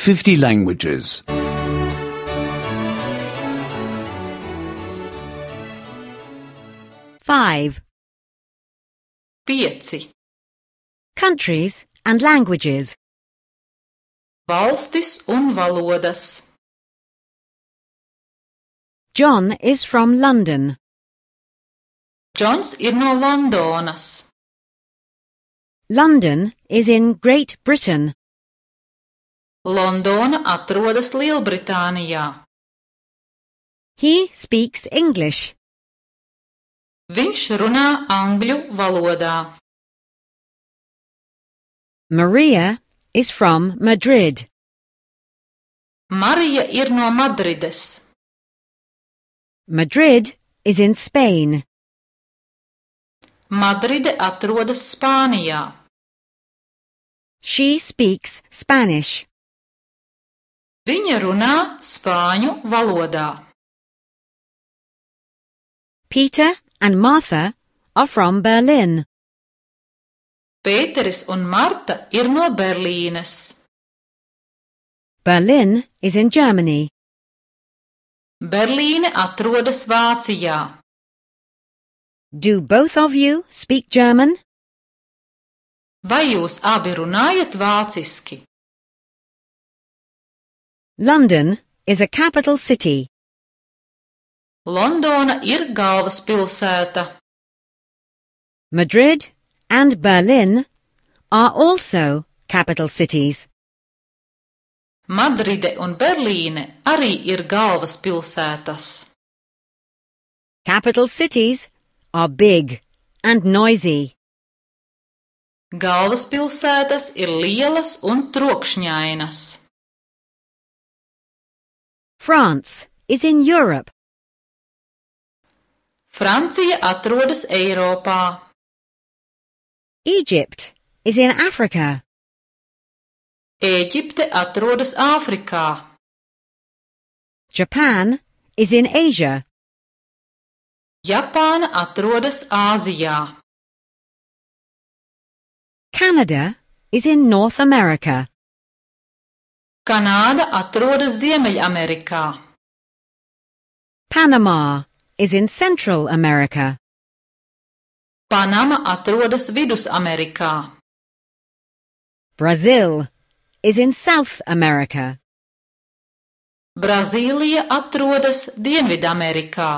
50 languages. 5. 5. Countries and languages. Valstis un valodas. John is from London. Džons ir no Londonas. London is in Great Britain. Londona atrodas Lielbritānijā. He speaks English. Viņš runā angļu valodā. Maria is from Madrid. Marija ir no Madrides. Madrid is in Spain. Madride atrodas Spānijā. She speaks Spanish. Viņa runā spāņu valodā. Peter and Martha are from Berlin. Pēteris un Marta ir no Berlīnes. Berlin is in Germany. Berlīne atrodas Vācijā. Do both of you speak German? Vai jūs abi runājat vāciski? London is a capital city. Londona ir galvaspilsēta. Madrid and Berlin are also capital cities. Madride un Berlīne arī ir galvaspilsētas. Capital cities are big and noisy. Galvaspilsētas ir lielas un trokšņainas. France is in Europe. Francija atrodas Eiropā. Egypt is in Africa. Ēģipte atrodas Āfrikā. Japan is in Asia. Japāna atrodas Āzijā. Canada is in North America. Kanāda atrodas Ziemeļamerikā. Panama is in Central America. Panama atrodas Vidusamerikā. Brazil is in South America. Brazīlija atrodas Dienvidamerikā.